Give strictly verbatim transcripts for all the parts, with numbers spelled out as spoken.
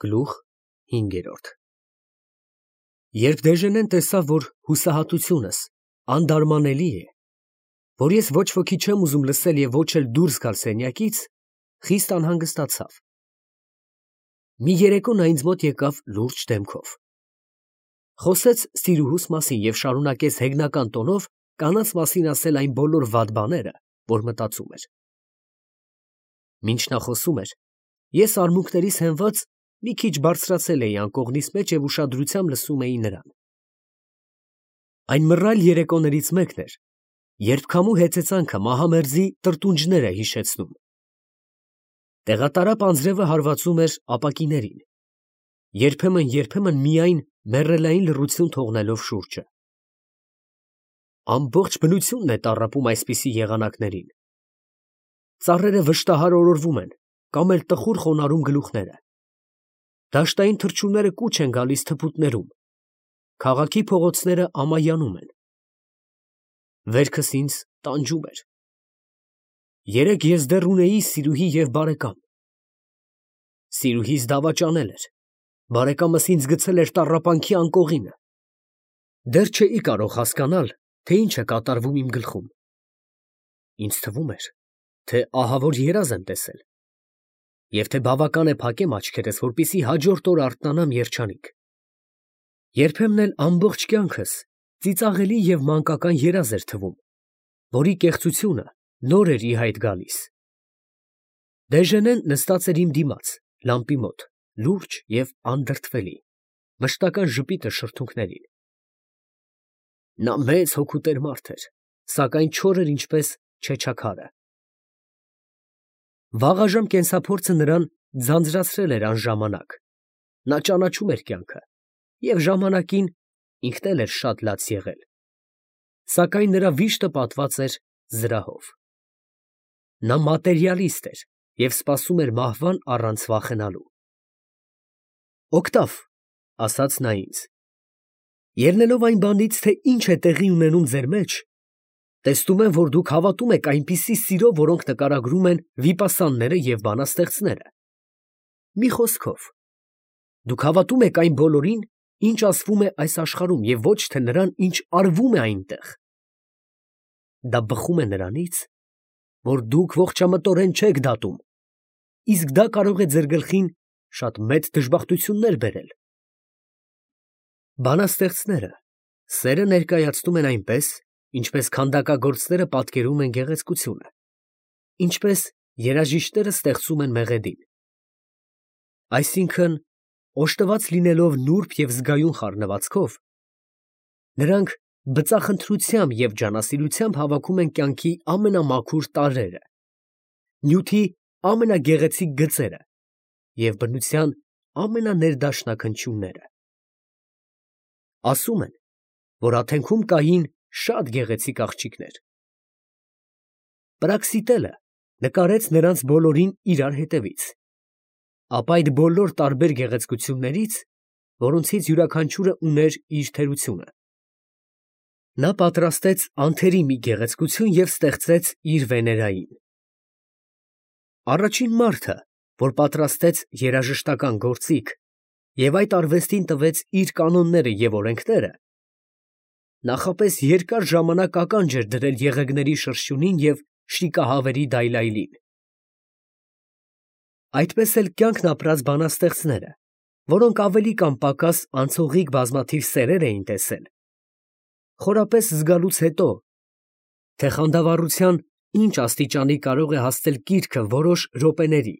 Գլուխ հինգերորդ Երբ Դեժենեն տեսավ, որ հուսահատությունս անդարմանելի է, որ ես ոչ ոքի չեմ ուզում լսել և ոչ էլ դուրս գալ սենյակից, խիստ անհանգստացավ։ Մի երեկո նա ինձ մոտ եկավ լուրջ դեմքով, խոսեց սիրուհուս մասին և շարունակեց հեգնական տոնով կանանց մասին ասել այն բոլոր վատ բաները, որ մտածում էր։ Մինչ նա խոսում էր, ես արմունկներիս հենված մի քիչ բարձրացել էի անկողնիս մեջ և ուշադրությամբ լսում էի նրան։ Այն մռայլ երեկոներից մեկն էր, երբ քամու հեծեծանքը մահամերձի տրտունջներ է հիշեցնում։ Տեղատարապ անձրևը հարվածում էր ապակիներին, երբեմն֊երբեմն միայն մեռելային լռություն թողնելով շուրջը։ Ամբողջ բնությունն է տառապում այսպիսի եղանակներին։ Ծառերը վշտահար օրորվում են կամ էլ տխուր խոնարհում գլուխները։ Դաշտային թռչունները կուչ են գալիս թփուտներում, քաղաքի փողոցները ամայանում են։ Վերքս ինձ տանջում էր։ Երեկ ես դեռ ունեի սիրուհի և բարեկամ։ Սիրուհիս դավաճանել էր, բարեկամս ինձ գցել էր տառապանքի անկողինը։ Դեռ չէի կարող հասկանալ, թե ինչ է կատարվում իմ գլխում։ Ինձ թվում էր, թե ահավոր երազ եմ տեսել, և թե բավական է փակեմ աչքերս, որպեսզի հաջորդ օրը արթնանամ երջանիկ։ Երբեմն էլ ամբողջ կյանքս ծիծաղելի և մանկական երազ էր թվում, որի կեղծությունը նոր էր ի հայտ գալիս։ Դեժենեն նստած էր իմ դիմաց, լամպի մոտ, լուրջ և անդրդվելի, մշտական ժպիտը շրթունքներին։ Նա մեծ հոգուտեր մարդ էր, սակայն չոր էր ինչպես չեչաքարը։ Վաղաժամ կենսափորձը նրան ձանձրացրել էր անժամանակ, նա ճանաչում էր կյանքը, և ժամանակին ինքն էլ էր շատ լաց եղել, սակայն նրա վիշտը պատված էր զրահով։ Նա մատերիալիստ էր և սպասում էր մահվան առանց վախենալու։ Օգտավ, ֊ ասաց նա ինձ, ֊ ելնելով այն բանից, թե ինչ է տեղի ունենում ձեր մեջ, տեսնում եմ, որ դուք հավատում եք այնպիսի սիրո, որոնք նկարագրում են վիպասանները և բանաստեղծները։ Մի խոսքով, դուք հավատում եք այն բոլորին, ինչ ասվում է այս աշխարհում, և ոչ թե նրան, ինչ արվում է այնտեղ։ Դա բխում է նրանից, որ դուք ողջամտորեն չեք դատում, իսկ դա կարող է ձեր գլխին շատ մեծ դժբախտություններ բերել։ Բանաստեղծները սերը ներկայացնում են այնպես, ինչպես քանդակագործները պատկերում են գեղեցկությունը, ինչպես երաժիշտները ստեղծում են մեղեդին։ Այսինքն, օժտված լինելով նուրբ և զգայուն խառնվածքով, նրանք բծախնդրությամբ և ջանասիրությամբ հավաքում են կյանքի ամենամաքուր տարրերը, նյութի ամենագեղեցիկ գծերը և բնության ամենաներդաշնաքնչյունները։ Ասում են, որ Աթենքում կային շատ գեղեցիկ աղջիկներ։ Պրաքսիտելը նկարեց նրանց բոլորին իրար հետևից, ապա այդ բոլոր տարբեր գեղեցկություններից, որոնցից յուրաքանչյուրը ուներ իր թերությունը, նա պատրաստեց անթերի մի գեղեցկություն և ստեղծեց իր Վեներային։ Առաջին մարդը, որ պատրաստեց երաժշտական գործիք և այդ արվեստին տվեց իր կանոնները և օրենքները, նախապես երկար ժամանակ ականջ էր դրել եղեգների շրշյունին և շիկահավերի դայլայլին։ Այդպես էլ կյանքն ապրած բանաստեղծները, որոնք ավելի կամ պակաս անցողիկ բազմաթիվ սերեր էին տեսել, խորապես զգալուց հետո, թե խանդավառության ինչ աստիճանի կարող է հասնել կիրքը որոշ րոպեների,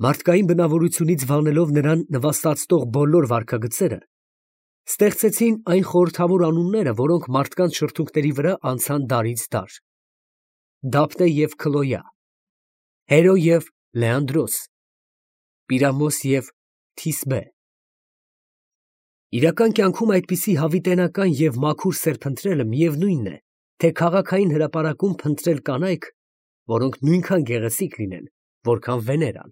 մարդկային բնավորությունից վանելով նրան նվաստացնող բոլոր վարքագծերը, ստեղծեցին այն խորհրդավոր անունները, որոնք մարդկանց շրթունքների վրա անցան դարից դար. Դափնե և Քլոյա, Հերո և Լեանդրոս, Պիրամոս և Թիսբե։ Իրական կյանքում այդպիսի հավիտենական և մաքուր սեր փնտրելը միևնույն է, թե քաղաքային հրապարակում փնտրել կանայք, որոնք նույնքան գեղեցիկ լինեն, որքան Վեներան,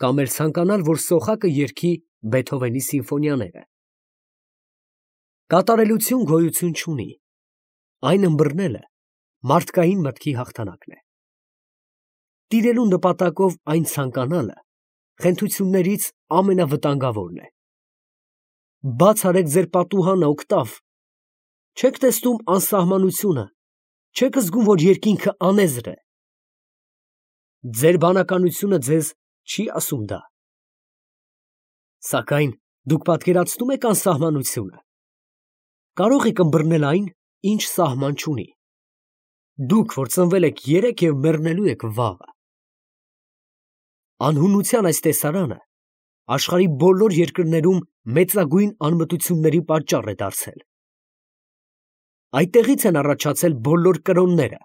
կամ էլ ցանկանալ, որ սոխակը երգի Բեթհովենի սիմֆոնիաները։ Կատարելություն գոյություն չունի, այն ըմբռնելը մարդկային մտքի հաղթանակն է։ Տիրելու նպատակով այն ցանկանալը խենթություններից ամենավտանգավորն է։ Բաց արեք ձեր պատուհանը, օկտավ, չեք տեսնում անսահմանությունը, չեք զգում, որ երկինքը անեզր է։ Ձեր բանականությունը ձեզ չի ասում դա։ Սակայն դուք պատկերացնում եք անսահմանությունը։ Կարող եք ըմբռնել այն, ինչ սահման չունի։ Դուք, որ ծնվել եք երեկ և մեռնելու եք վաղը։ Անհունության այս տեսարանը աշխարհի բոլոր երկրներում մեծագույն անմտությունների պատճառ է դարձել։ Այդտեղից են առաջացել բոլոր կրոնները։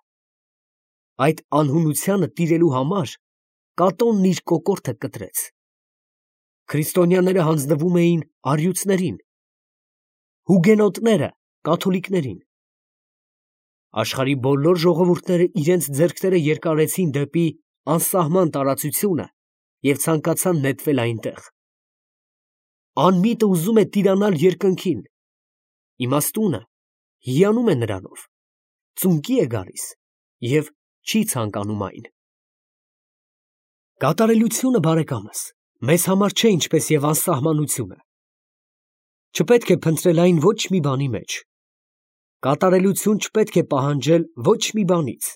Այդ անհունությանը տիրելու համար կատոնն իր կոկորդը կտրեց։ Քրիստոնյաները հանձնվում էին առյուծներին, հուգենոտները կաթոլիկներին։ Աշխարհի բոլոր ժողովուրդները իրենց ձեռքերը երկարեցին դեպի անսահման տարածությունը և ցանկացան նետվել այնտեղ։ Անմիտը ուզում է տիրանալ երկնքին, իմաստունը հիանում է նրանով, ծունկի է գալիս և չի ցանկանում այն։ Կատարելությունը, բարեկամս, մեզ համար չէ ինչպես և անսահմանությունը։ Չպետք է փնտրել այն ոչ մի բանի մեջ։ Կատարելություն չպետք է պահանջել ոչ մի բանից,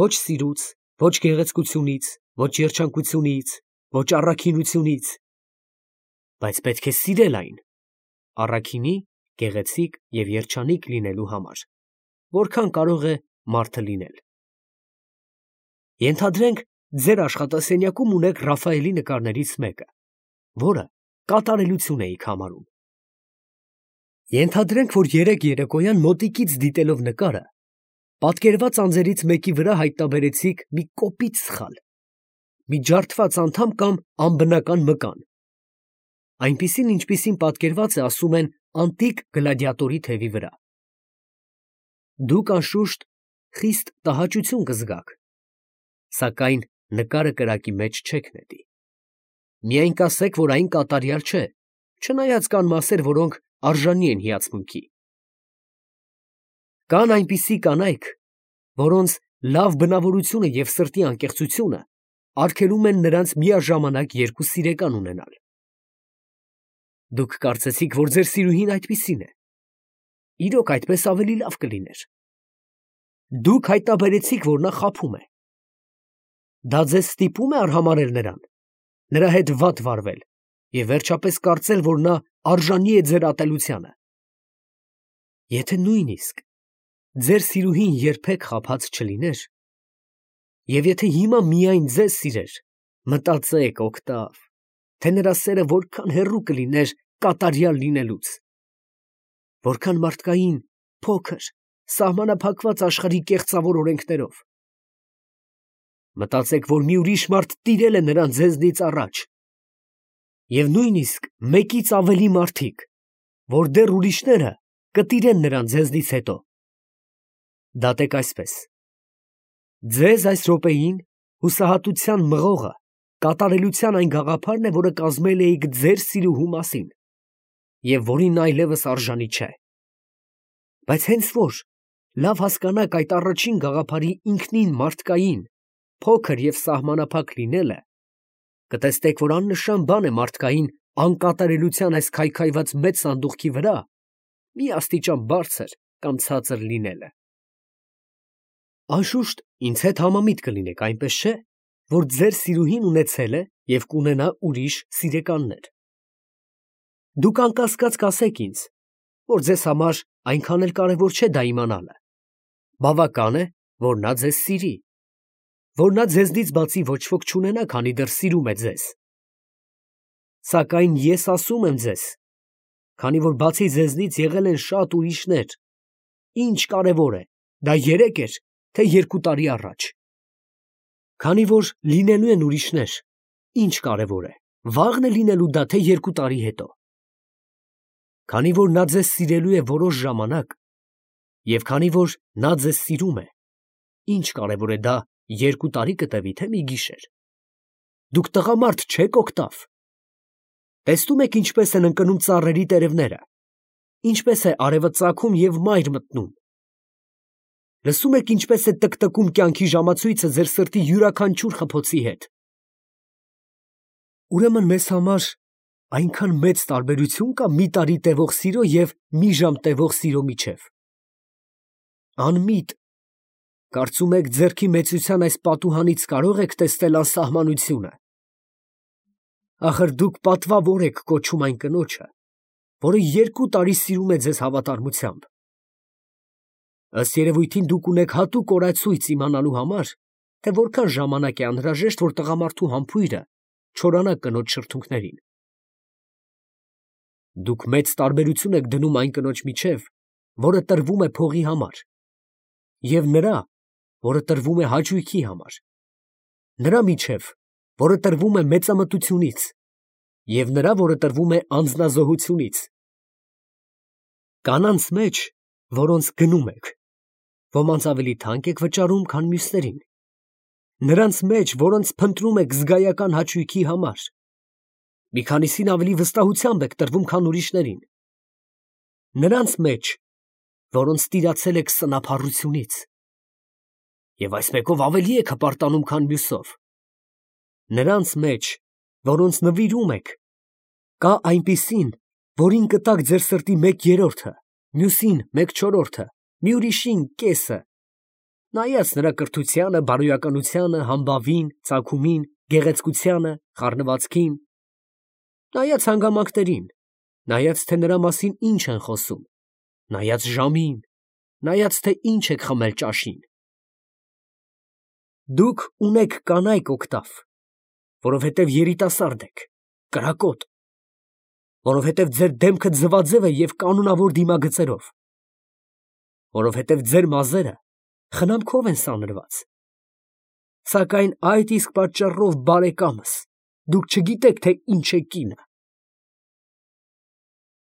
ոչ սիրուց, ոչ գեղեցկությունից, ոչ երջանկությունից, ոչ առաքինությունից, բայց պետք է սիրել այն, առաքինի, գեղեցիկ և երջանիկ լինելու համար, որքան կարող է մարդը լինել։ Ենթադրենք, ձեր աշխատասենյակում ունեք Ռաֆայելի նկարներից մեկը, որը կատարելություն էիք համարում։ Ենթադրենք, որ երեկ երեկոյան մոտիկից դիտելով նկարը, պատկերված անձերից մեկի վրա հայտնաբերեցիք մի կոպիտ սխալ, մի ջարդված անդամ կամ անբնական մկան, այնպիսին, ինչպիսին պատկերված է, ասում են, անտիկ գլադիատորի թևի վրա։ Դուք անշուշտ խիստ տհաճություն կզգաք, սակայն նկարը կրակի մեջ չեք նետի։ Միայն կասեք, որ այն կատարյալ չէ, չնայած կան մասեր, որոնք արժանի են հիացմունքի։ Կան այնպիսի կանայք, որոնց լավ բնավորությունը և սրտի անկեղծությունը արգելում են նրանց միաժամանակ երկու սիրեկան ունենալ։ Դուք կարծեցիք, որ ձեր սիրուհին այդպիսին է։ Իրոք այդպես ավելի լավ կլիներ։ Դուք հայտնաբերեցիք, որ նա խաբում է։ Դա ձեզ ստիպում է արհամարհել նրան, նրա հետ վատ վարվել և վերջապես կարծել, որ նա արժանի է ձեր ատելությանը։ Եթե նույնիսկ ձեր սիրուհին երբեք խաբած չլիներ, և եթե հիմա միայն ձեզ սիրեր, մտածեք, օկտավ, թե նրա սերը որքան հեռու կլիներ կատարյալ լինելուց, որքան մարդկային, փոքր, սահմանափակված աշխարհի կեղծավոր օրենքներով։ Մտածեք, որ մի ուրիշ մարդ տիրել է նրան ձեզնից առաջ, և նույնիսկ մեկից ավելի մարդիկ, որ դեռ ուրիշները կտիրեն նրան ձեզնից հետո։ Դատեք այսպես. ձեզ այս րոպեին հուսահատության մղողը կատարելության այն գաղափարն է, որը կազմել էիք ձեր սիրուհու մասին, և որին նա այլևս արժանի չէ։ Բայց հենց որ լավ հասկանաք այդ առաջին գաղափարի ինքնին մարդկային, փոքր և սահմանափակ լինելը, կտեսնեք, որ աննշան բան է մարդկային անկատարելության այս քայքայված մեծ սանդուղքի վրա մի աստիճան բարձր կամ ցածր լինելը։ Անշուշտ ինձ հետ համամիտ կլինեք, այնպես չէ, որ ձեր սիրուհին ունեցել է և կունենա ուրիշ սիրեկաններ։ Դուք անկասկած կասեք ինձ, որ ձեզ համար այնքան էլ կարևոր չէ դա իմանալը։ Բավական է, որ նա ձեզ սիրի, որ նա ձեզնից բացի ոչ ոք չունենա, քանի դեռ սիրում է ձեզ։ Սակայն ես ասում եմ ձեզ, քանի որ բացի ձեզնից եղել են շատ ուրիշներ, ինչ կարևոր է, դա երեկ էր, թե երկու տարի առաջ։ Քանի որ լինելու են ուրիշներ, ինչ կարևոր է, վաղն է լինելու դա, թե երկու տարի հետո։ Քանի որ նա ձեզ սիրելու է որոշ ժամանակ, և քանի որ նա ձեզ սիրում է, ինչ կարևոր է դա երկու տարի կտևի, թե մի գիշեր։ Դուք տղամարդ չեք, օկտավ։ Տեսնում եք ինչպես են ընկնում ծառերի տերևները, ինչպես է արևը ծագում և մայր մտնում։ Լսում եք ինչպես է տկտկում կյանքի ժամացույցը ձեր սրտի յուրաքանչյուր խփոցի հետ։ Ուրեմն մեզ համար այնքան մեծ տարբերություն կա մի տարի տևող սիրո և մի ժամ տևող սիրո միջև։ Անմիտ, կարծում եք ձեռքի մեծության այս պատուհանից կարող եք տեսնել անսահմանությունը։ Ախր դուք պատվավոր եք կոչում այն կնոջը, որը երկու տարի սիրում է ձեզ հավատարմությամբ։ Ըստ երևույթին դուք ունեք հատուկ օրացույց իմանալու համար, թե որքան ժամանակ է անհրաժեշտ, որ տղամարդու համբույրը չորանա կնոջ շրթունքներին։ Դուք մեծ տարբերություն եք դնում այն կնոջ միջև, որը տրվում է փողի համար, և նրա, որը տրվում է հաճույքի համար, նրա միջև, որը տրվում է մեծամտությունից, և նրա, որը տրվում է անձնազոհությունից։ Կանանց մեջ, որոնց գնում եք, ոմանց ավելի թանկ եք վճարում, քան մյուսներին, նրանց մեջ, որոնց փնտրում եք զգայական հաճույքի համար, մի քանիսին ավելի վստահությամբ եք տրվում, քան ուրիշներին, նրանց մեջ, որոնց տիրացել եք սնափառությունից, և այս մեկով ավելի եք հպարտանում, քան մյուսով, նրանց մեջ, որոնց նվիրում եք, կա այնպիսին, որին կտաք ձեր սրտի մեկ երրորդը, մյուսին մեկ չորրորդը, մի ուրիշին կեսը, նայած նրա կրթությանը, բարոյականությանը, համբավին, ծագումին, գեղեցկությանը, խառնվածքին, նայած հանգամանքներին, նայած թե նրա մասին ինչ են խոսում, նայած ժամին, նայած թե ինչ եք խմել ճաշին։ Դուք ունեք կանայք օգտավ, որովհետև երիտասարդ եք, կրակոտ, որովհետև ձեր դեմքը ձվաձև է և կանոնավոր դիմագծերով, որովհետև ձեր մազերը խնամքով են սանրված, սակայն այդ իսկ պատճառով, բարեկամս, դուք չգիտեք, թե ինչ է կինը,